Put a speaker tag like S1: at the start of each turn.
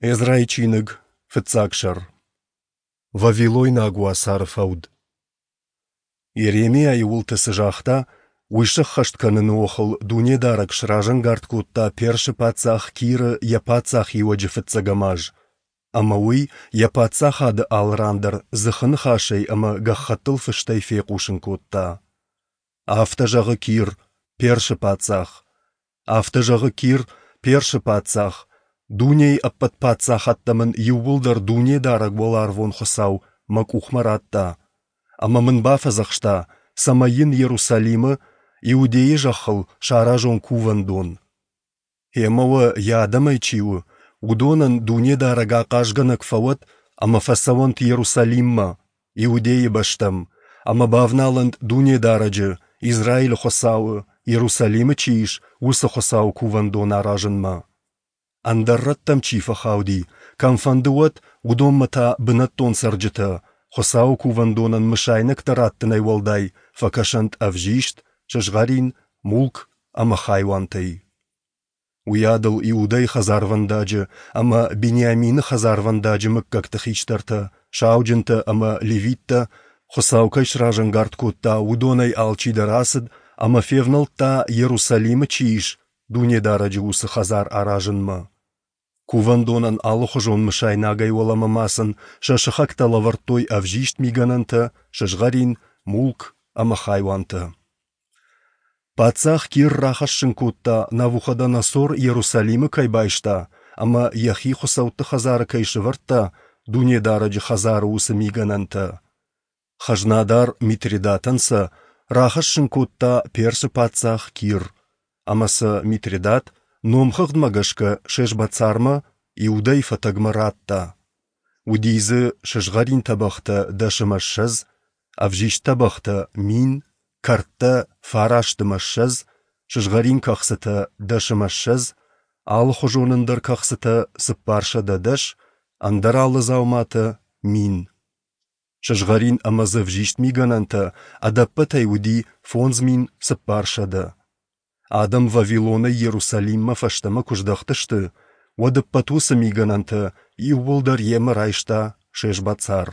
S1: Эзрайы чиныг, фыццаг сӕр. Вавилойнаг уацары фӕуд. Йеремиайы уылты цы загъта, уый сӕххӕст кӕныны охыл Дунедарӕг сразӕнгард кодта Персы паддзах Киры йӕ паддзахиуӕджы фыццӕгӕм аз, ӕмӕ уый йӕ паддзахады алы ран дӕр дзыхы ныхасӕй ӕмӕ гӕххӕттыл фыстӕй фехъусын кодта. Афтӕ зӕгъы Кир, Персы паддзах. Афтӕ зӕгъы Кир, Персы паддзах, дунейы ӕппӕт паддзахӕдтӕ мын иууылдӕр Дунедарӕг Уӕларвон Хуыцау мӕ къухмӕ радта, ӕмӕ мын бафӕдзӕхста, цӕмӕй йын Иерусалимы, Иудейы зӕххыл, саразон кувӕндон. Гъемӕ уӕ йӕ адӕмӕй чи у, уыдонӕн Дунедарӕг ахъазгӕнӕг фӕуӕд ӕмӕ фӕцӕуӕнт Иерусалиммӕ, Иудейы бӕстӕм, ӕмӕ бавналӕнт Дунедарӕджы, Израилы Хуыцауы, Иерусалимы чи ис, уыцы Хуыцауы кувӕндон аразынмӕ. Ӕндӕр рӕттӕм чи фӕхауди, кӕмфӕнды уӕд, уыдонмӕ та бынӕттон цӕрджытӕ, Хуыцауы кувӕндонӕн мысайнӕгтӕ раттынӕй уӕлдай, фӕкӕсӕнт ӕвзист, сызгъӕрин, мулк ӕмӕ хайуантӕй. Уыйадыл Иудӕйы хӕдзарвӕндаджы ӕмӕ Бениамины хӕдзарвӕндаджы мыггӕгты хистӕртӕ, сауджынтӕ ӕмӕ левиттӕ, Хуыцау кӕй сразӕнгард кодта, уыдонӕй алчидӕр ацыд ӕмӕ февнӕлдта, Иерусалимы чи ис, Дунедарӕджы уыцы хӕдзар аразынмӕ. Кувӕндонӕн алыхуызон мысайнагӕй уӕлӕмӕ ма сын сӕ сыхӕгтӕ лӕвӕрдтой ӕвзист мигӕнӕнтӕ, сызгъӕрин, мулк ӕмӕ хайуантӕ. Паддзах Кир рахӕссын кодта, Навуходоносор Иерусалимы кӕй байста ӕмӕ йӕхи хуыцӕутты хӕдзары кӕй сӕвӕрдта, Дунедарӕджы хӕдзары уыцы мигӕнӕнтӕ. Хӕзнадар Митридатӕн сӕ рахӕссын кодта Персы паддзах Кир, ӕмӕ сӕ Митридат номхыгъдмӕ гӕсгӕ Шешбацармӕ, Иудӕйы фӕтӕгмӕ радта. Уыди дзы сызгъӕрин тӕбӕгътӕ 10 ӕмӕ 20, ӕвзист тӕбӕгътӕ 1000, кӕрдтӕ 29, сызгъӕрин кӕхцытӕ 10 ӕмӕ 20, алыхуызон ӕндӕр кӕхцытӕ 410, ӕндӕр алы дзауматӕ 1000. Сызгъӕрин ӕмӕ дзы ӕвзист мигӕнӕнтӕ ӕдӕппӕтӕй уыди 5400. Адӕм Вавилонӕй Иерусалиммӕ фӕстӕмӕ куы здӕхтысты, уӕд ӕппӕт уыцы мигӕнӕнтӕ иууылдӕр йемӕ райста Шешбацар.